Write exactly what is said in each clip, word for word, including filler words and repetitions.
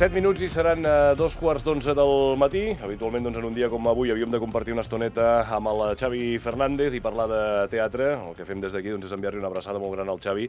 set minuts i seran eh, dos quarts d'onze del matí. Habitualment, doncs, en un dia com avui, havíem de compartir una estoneta amb el Xavi Fernández i parlar de teatre. El que fem des d'aquí, doncs, és enviar-li una abraçada molt gran al Xavi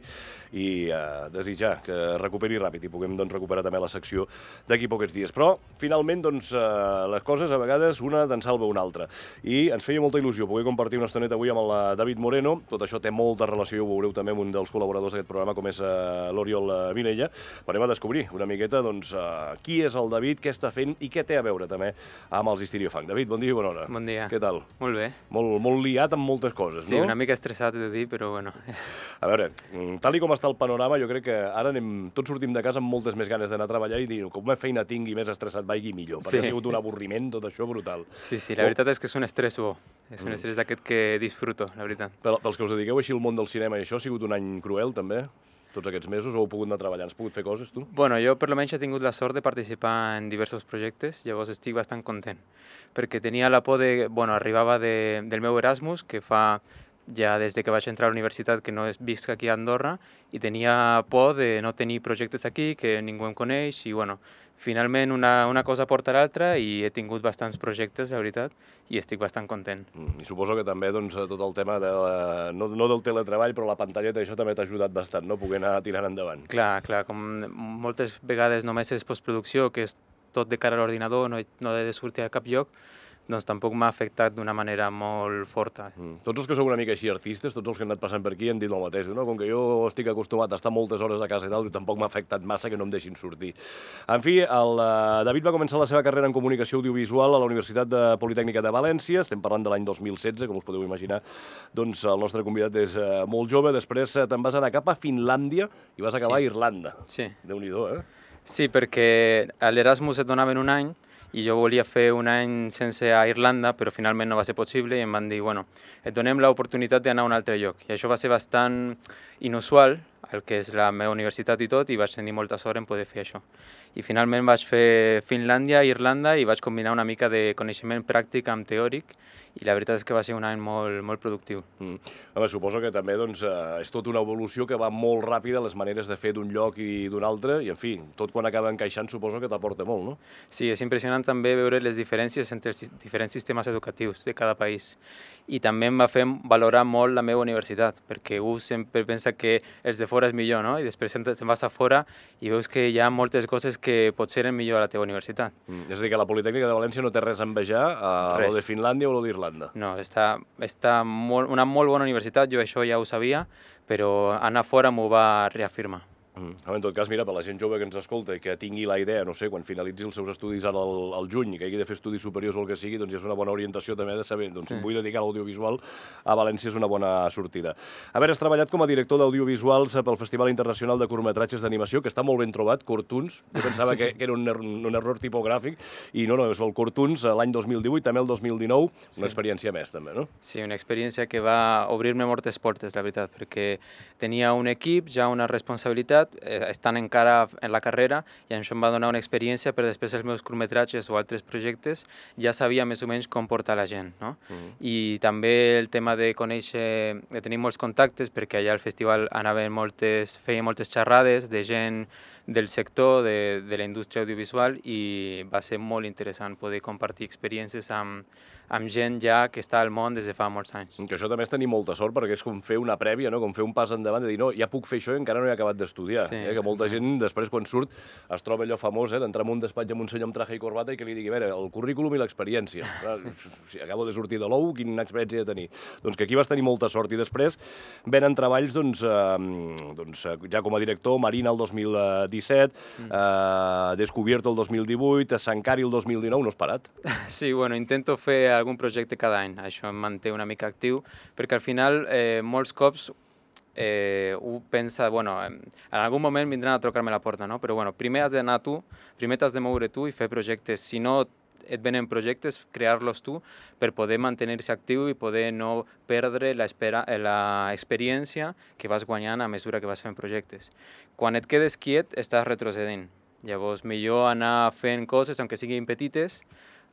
i eh, desitjar que recuperi ràpid i puguem, doncs, recuperar també la secció d'aquí pocs dies. Però, finalment, doncs, eh, les coses, a vegades, una te'n salva una altra. I ens feia molta il·lusió poder compartir una estoneta avui amb el David Moreno. Tot això té molta relació, ho veureu també amb un dels col·laboradors d'aquest programa, com és eh, l'Oriol Vilella. Anem a descobrir una miqueta, doncs, eh, qui és el David, què està fent i què té a veure també amb els Histriofunk. David, bon dia i bona hora. Bon dia. Què tal? Molt bé. Molt, molt liat amb moltes coses, sí, no? Sí, una mica estressat de dir, però bueno. A veure, tal i com està el panorama, jo crec que ara anem, tots sortim de casa amb moltes més ganes d'anar a treballar i dir, com més feina tingui, més estressat vagi millor, perquè sí. Ha sigut un avorriment, tot això brutal. Sí, sí, la veritat és que és un estrès bo. És un estrès d'aquest que disfruto, la veritat. Pels que us dediqueu així al món del cinema i això, ha sigut un any cruel, també? Tots aquests mesos, o heu pogut anar treballant? Has pogut fer coses, tu? Bueno, jo per almenys he tingut la sort de participar en diversos projectes, llavors estic bastant content, perquè tenia la por de... Bueno, arribava de, del meu Erasmus, que fa ja des de que vaig entrar a la universitat que no visc aquí a Andorra, i tenia por de no tenir projectes aquí, que ningú em coneix, i bueno, finalment una, una cosa porta l'altra i he tingut bastants projectes, la veritat, i estic bastant content. Mm, I suposo que també, doncs, tot el tema de la, no, no del teletreball, però la pantalleta, això també t'ha ajudat bastant, no? Poder anar tirant endavant. Clar, clar, com moltes vegades només és postproducció, que és tot de cara a l'ordinador, no, no he de sortir a cap lloc, doncs tampoc m'ha afectat d'una manera molt forta. Mm. Tots els que sou una mica així artistes, tots els que han anat passant per aquí han dit el mateix, no? Com que jo estic acostumat a estar moltes hores a casa i tal, tampoc m'ha afectat massa que no em deixin sortir. En fi, el uh, David va començar la seva carrera en comunicació audiovisual a la Universitat de Politècnica de València, estem parlant de l'any dos mil setze, com us podeu imaginar, doncs el nostre convidat és uh, molt jove, després uh, te'n vas anar cap a Finlàndia i vas acabar sí. a Irlanda. Sí. Déu-n'hi-do, eh? Sí, perquè a l'Erasmus et donaven un any, i jo volia fer un any sense a Irlanda, però finalment no va ser possible i em van dir, bueno, et donem l'oportunitat d'anar a un altre lloc. I això va ser bastant inusual, el que és la meva universitat i tot, i vaig tenir molta sort en poder fer això. I finalment vaig fer Finlàndia i Irlanda i vaig combinar una mica de coneixement pràctic amb teòric, i la veritat és que va ser un any molt, molt productiu. Mm. Home, suposo que també doncs, eh, és tota una evolució que va molt ràpida, les maneres de fer d'un lloc i d'un altre, i en fi, tot quan acaba encaixant suposo que t'aporta molt, no? Sí, és impressionant també veure les diferències entre els diferents sistemes educatius de cada país. I també em va fer valorar molt la meva universitat, perquè un sempre pensa que els de fora és millor, no? I després te'n vas a fora i veus que hi ha moltes coses que potser eren millor a la teva universitat. Mm. És a dir, que la Politècnica de València no té res a envejar a lo de Finlàndia o lo d'Irlanda. No, està, està molt, una molt bona universitat, jo això ja ho sabia, però anar fora m'ho va reafirmar. Mm. En tot cas, mira, per la gent jove que ens escolta i que tingui la idea, no sé, quan finalitzi els seus estudis ara al, al juny i que hagi de fer estudis superiors o el que sigui, doncs ja és una bona orientació també de saber, doncs sí. Si em vull dedicar a l'audiovisual, a València és una bona sortida. A veure, has treballat com a director d'audiovisuals pel Festival Internacional de Curtmetratges d'Animació, que està molt ben trobat, Cortuns. Jo pensava sí. que, que era un, un error tipogràfic, i no, no, és el Cortuns l'any dos mil divuit, també el dos mil dinou, sí. Una experiència més, també, no? Sí, una experiència que va obrir-me moltes portes, la veritat, perquè tenia un equip, ja una responsabilitat, estan encara en la carrera, i això em va donar una experiència per després els meus curtmetratges o altres projectes ja sabia més o menys com portar la gent, no? Uh-huh. I també el tema de conèixer, de tenir molts contactes, perquè allà al festival anaven moltes, feia moltes xerrades de gent del sector, de, de la indústria audiovisual, i va ser molt interessant poder compartir experiències amb, amb gent ja que està al món des de fa molts anys. Que això també és tenir molta sort, perquè és com fer una prèvia, no? Com fer un pas endavant, de dir, no, ja puc fer això i encara no he acabat d'estudiar. Sí, eh? Que molta gent, després, quan surt, es troba allò famós, eh? D'entrar en un despatx amb un senyor amb traje i corbata i que li digui, a veure, el currículum i l'experiència. Sí. Si acabo de sortir de l'ou, quina experiència he de tenir? Doncs que aquí vas tenir molta sort. I després venen treballs, doncs, eh, doncs ja com a director, Marina el dos mil disset, mm. eh, Descubierto el dos mil divuit, Sankari el dos mil dinou, no has parat? Sí, bueno, intento fer algun projecte cada any, això em manté una mica actiu, perquè al final eh, molts cops eh, un pensa, bueno, en algun moment vindran a trucar-me a la porta, no? Però bueno, primer has d'anar tu, primer t'has de moure tu i fer projectes, si no et venen projectes, crear-los tu per poder mantenir-se actiu i poder no perdre l'experiència que vas guanyant a mesura que vas fent projectes. Quan et quedes quiet, estàs retrocedint. Llavors, millor anar fent coses, aunque siguin petites,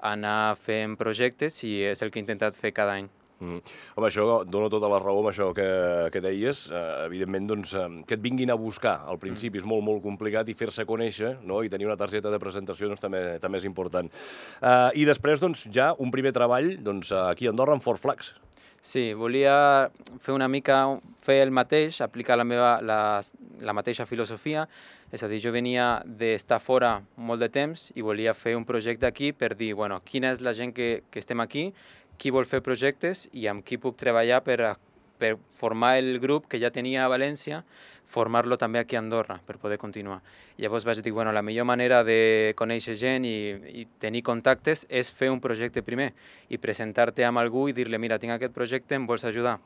anar fent projectes, i és el que he intentat fer cada any. Mm. Home, això dono tota la raó amb això que, que deies. Uh, evidentment, doncs, um, que et vinguin a buscar al principi mm. és molt, molt complicat i fer-se conèixer, no? I tenir una targeta de presentació doncs, també, també és important. Uh, I després, doncs, ja un primer treball doncs, aquí a Andorra amb Four Flags. Sí, volia fer una mica, fer el mateix, aplicar la meva, la, la mateixa filosofia, és a dir, jo venia d'estar fora molt de temps i volia fer un projecte aquí per dir, bueno, quina és la gent que, que estem aquí, qui vol fer projectes i amb qui puc treballar per, per formar el grup que ja tenia a València, formar-lo també aquí a Andorra per poder continuar. Llavors vaig dir, bueno, la millor manera de conèixer gent i, i tenir contactes és fer un projecte primer i presentar-te amb algú i dir-li, mira, tinc aquest projecte, em vols ajudar?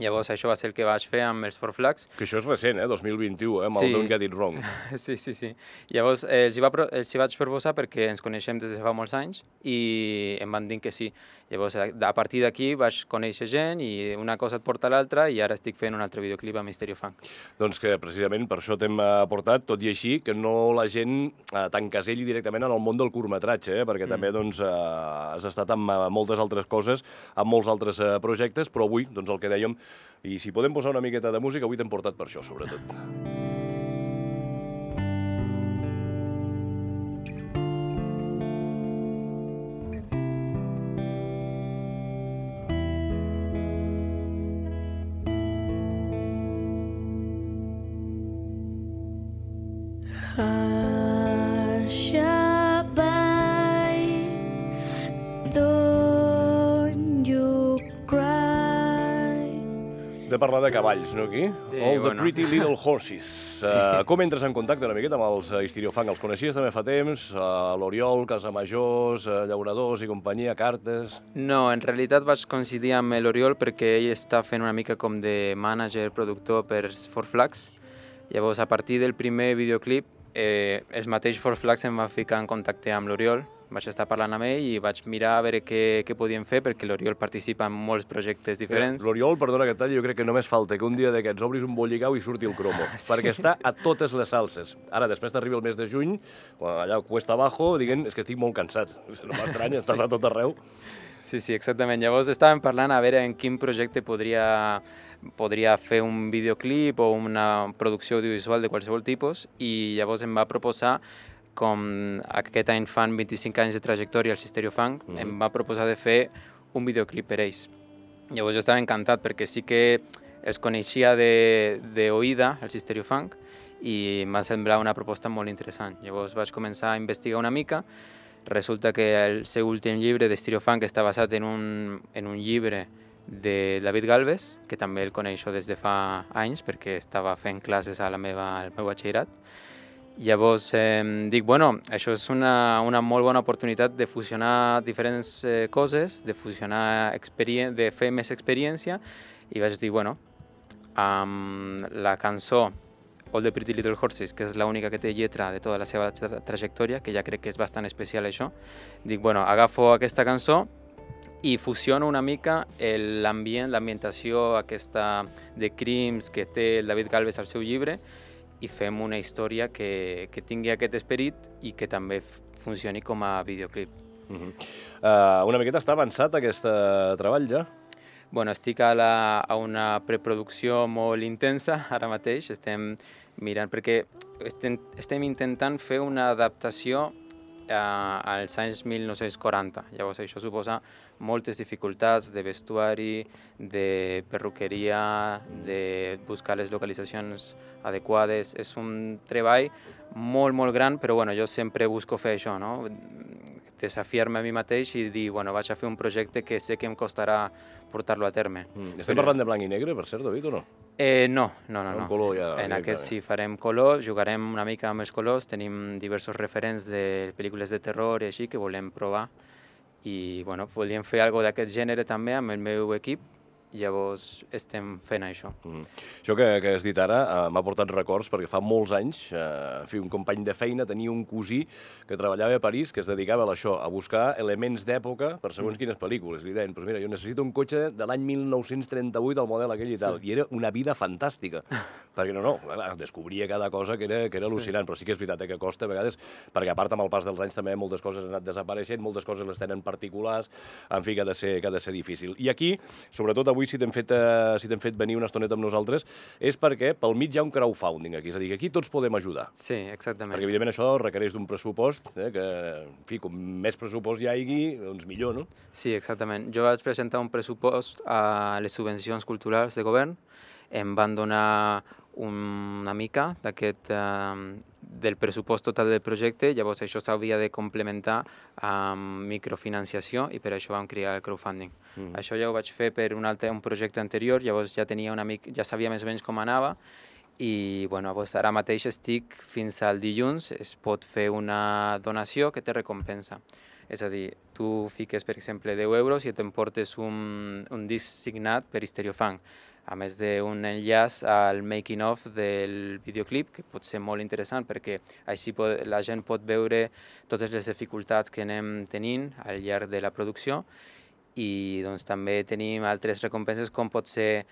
Llavors això va ser el que vaig fer amb els Four Flags. Que això és recent, eh? dos mil vint-u, eh? Amb sí. el Don't Get It Wrong. Sí, sí, sí. Llavors eh, els, hi va, els hi vaig proposar perquè ens coneixem des de fa molts anys i em van dir que sí. Llavors a partir d'aquí vaig conèixer gent i una cosa et porta a l'altra i ara estic fent un altre videoclip a Mysterio Funk. Doncs que precisament per això t'hem portat, tot i així, que no la gent eh, t'encaselli directament en el món del curtmetratge, eh? Perquè mm. també doncs, eh, has estat amb eh, moltes altres coses, amb molts altres eh, projectes, però avui, doncs el que dèiem, i si podem posar una miqueta de música, avui t'hem portat per això, sobretot. De parlar de cavalls, no, aquí? Sí, All the bueno. Pretty Little Horses. Sí. Uh, com entres en contacte una miqueta amb els uh, Hysterio Funk? Els coneixies també fa temps? Uh, L'Oriol, Casamajors, uh, Llauradors i companyia, cartes... No, en realitat vaig coincidir amb l'Oriol perquè ell està fent una mica com de mànager, productor per Four Flags. Llavors, a partir del primer videoclip, eh, els mateix Four Flags em va ficar en contacte amb l'Oriol. Vaig estar parlant amb ell i vaig mirar a veure què, què podíem fer perquè l'Oriol participa en molts projectes diferents. L'Oriol, perdona que et talli, jo crec que només falta que un dia d'aquests obris un bollicau i surti el cromo, sí. Perquè està a totes les salses. Ara, després d'arribar el mes de juny, quan allà cuesta abajo, diguem, és que estic molt cansat. No m'estranya, sí. Estàs a tot arreu. Sí, sí, exactament. Llavors estàvem parlant a veure en quin projecte podria, podria fer un videoclip o una producció audiovisual de qualsevol tipus i llavors em va proposar, com aquest any fan vint-i-cinc anys de trajectòria al Hysterio Funk, mm-hmm. em va proposar de fer un videoclip per ells. Llavors jo estava encantat perquè sí que els coneixia d'oïda, el Hysterio Funk, i em va semblar una proposta molt interessant. Llavors vaig començar a investigar una mica. Resulta que el seu últim llibre de Hysterio Funk està basat en un, en un llibre de David Galvez, que també el coneixo des de fa anys perquè estava fent classes a la meva, al meu batxillerat. Llavors eh, dic, bueno, això és una, una molt bona oportunitat de fusionar diferents eh, coses, de fusionar de fer més experiència i vaig dir, bueno, amb la cançó All the Pretty Little Horses, que és l'única que té lletra de tota la seva tra trajectòria, que ja crec que és bastant especial això, dic, bueno, agafo aquesta cançó i fusiono una mica l'ambient, l'ambientació aquesta de crims que té el David Galvez al seu llibre i fem una història que, que tingui aquest esperit i que també funcioni com a videoclip. Uh-huh. uh, una miqueta està avançat aquest uh, treball ja? Bueno, estic a, la, a una preproducció molt intensa ara mateix. Estem mirant, perquè estem, estem intentant fer una adaptació uh, als anys mil nou-cents quaranta. Llavors això suposa moltes dificultats de vestuari, de perruqueria, de buscar les localitzacions adequades. És un treball molt, molt gran, però bueno, jo sempre busco fer això, no? Desafiar-me a mi mateix i dir, bueno, vaig a fer un projecte que sé que em costarà portar-lo a terme. Mm. Estem però... parlant de blanc i negre, per cert, David, o no? Eh, no, no, no. no. Color ja, en aquest sí farem color, jugarem una mica amb els colors, tenim diversos referents de pel·lícules de terror i així que volem provar. I bueno, volíem fer alguna d'aquest gènere també amb el meu equip llavors estem fent això. Mm. Això que, que has dit ara uh, m'ha portat records, perquè fa molts anys, uh, fi, un company de feina tenia un cosí que treballava a París, que es dedicava a això, a buscar elements d'època per segons mm. quines pel·lícules. Li deien, pues mira, jo necessito un cotxe de l'any mil nou-cents trenta-vuit, el model aquell i tal, sí. I era una vida fantàstica, perquè no, no, clar, descobria cada cosa que era, que era sí. al·lucinant, però sí que és veritat eh, que costa a vegades, perquè a part amb el pas dels anys també moltes coses han anat desapareixent, moltes coses les tenen particulars, en fi, que ha de ser, que ha de ser difícil. I aquí, sobretot avui, si t'hem fet, eh, si t'hem fet venir una estoneta amb nosaltres, és perquè pel mig hi ha un crowdfunding aquí, és a dir, que aquí tots podem ajudar. Sí, exactament. Perquè, evidentment, això requereix d'un pressupost, eh, que, en fi, com més pressupost hi hagi, doncs millor, no? Sí, exactament. Jo vaig presentar un pressupost a les subvencions culturals de govern, em van donar una mica d'aquest eh, del pressupost total del projecte, llavors això s'havia de complementar amb microfinanciació i per això vam crear el crowdfunding. Mm. Això ja ho vaig fer per un altre un projecte anterior, llavors ja tenia una mica, ja sabia més o menys com anava i bueno, ara mateix estic fins al dilluns, es pot fer una donació que té recompensa. És a dir, tu fiques, per exemple, deu euros i t'emportes un, un disc signat per Stereofunk, a més d'un enllaç al making-of del videoclip, que pot ser molt interessant perquè així pot, la gent pot veure totes les dificultats que anem tenint al llarg de la producció i doncs, també tenim altres recompenses com pot ser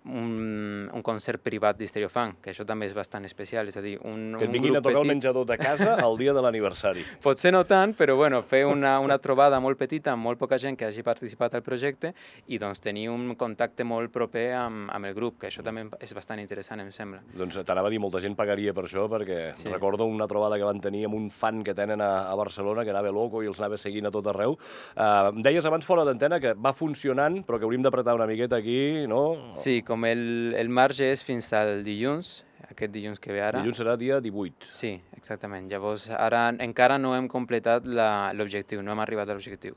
un, un concert privat d'Stereofunk, que això també és bastant especial, és a dir, un, que et un vinguin grup a tocar petit... el menjador de casa el dia de l'aniversari. Potser no tant, però bueno, fer una, una trobada molt petita amb molt poca gent que hagi participat al projecte i doncs tenir un contacte molt proper amb, amb el grup, que això també és bastant interessant, em sembla. Doncs t'anava a dir, molta gent pagaria per això, perquè sí. Recordo una trobada que van tenir amb un fan que tenen a, a Barcelona, que anava loco i els anava seguint a tot arreu. Uh, em deies abans fora d'antena que va funcionant, però que hauríem d'apretar una miqueta aquí, no? Sí, com el, el marge és fins al dilluns, aquest dilluns que ve ara. Dilluns serà dia divuit. Sí, exactament. Llavors, ara encara no hem completat l'objectiu, no hem arribat a l'objectiu.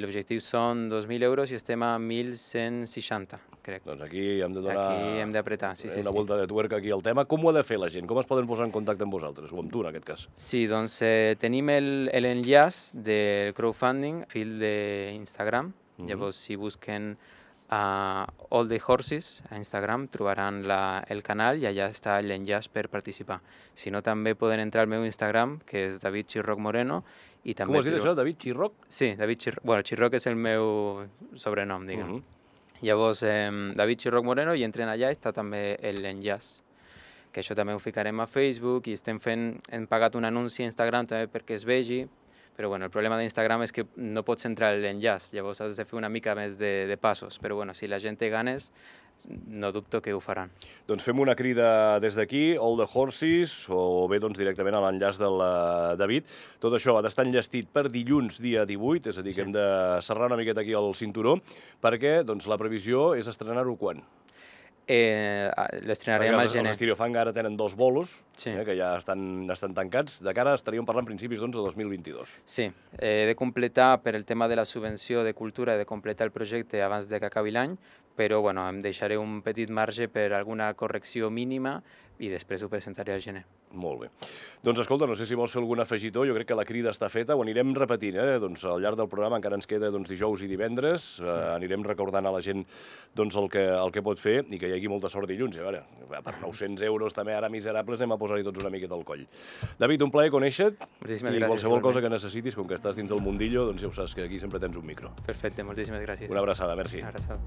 L'objectiu són dos mil euros i estem a mil cent seixanta, crec. Doncs aquí hem de donar aquí hem d'apretar, sí, sí, una sí. volta de tuerca aquí al tema. Com ho ha de fer la gent? Com es poden posar en contacte amb vosaltres, o amb tu en aquest cas? Sí, doncs eh, tenim l'enllaç del crowdfunding, fil d'Instagram. Mm-hmm. Llavors, si busquen a All the Horses a Instagram trobaran la, el canal i allà està l'enllaç per participar. Si no, també poden entrar al meu Instagram, que és David Chirroc Moreno. I també com has dit això, David Chirroc? Sí, David Chirroc. Bueno, Chirroc és el meu sobrenom, diguem. Uh -huh. Llavors, eh, David Chirroc Moreno, i entren allà, està també l'enllaç. Que això també ho ficarem a Facebook i estem fent, hem pagat un anunci a Instagram també perquè es vegi. Però bueno, el problema d'Instagram és que no pots entrar a l'enllaç, llavors has de fer una mica més de, de passos. Però bueno, si la gent té ganes, no dubto que ho faran. Doncs fem una crida des d'aquí, All the Horses, o bé doncs, directament a l'enllaç del David. Tot això ha d'estar enllestit per dilluns, dia divuit, és a dir, sí. Que hem de serrar una miqueta aquí el cinturó, perquè doncs, la previsió és estrenar-ho quan? Eh, L'estrenarem al gener. Els Stereofunk ara tenen dos bolos, sí. eh, que ja estan, estan tancats. De cara estaríem parlant principis doncs, de dos mil vint-i-dos. Sí, he de completar per el tema de la subvenció de cultura, he de completar el projecte abans de que acabi l'any, però bueno, em deixaré un petit marge per alguna correcció mínima i després ho presentaré al gener. Molt bé. Doncs escolta, no sé si vols fer algun afegitó, jo crec que la crida està feta, ho anirem repetint, eh? Doncs al llarg del programa encara ens queda doncs, dijous i divendres, sí. eh, anirem recordant a la gent doncs, el, que, el que pot fer i que hi hagi molta sort dilluns. I a veure, per nou-cents euros també ara miserables anem a posar-hi tots una miqueta al coll. David, un plaer conèixer-te i gràcies, qualsevol cosa que necessitis, com que estàs dins del mundillo, doncs ja ho saps que aquí sempre tens un micro. Perfecte, moltíssimes gràcies. Una abraçada, merci. Una abraçada.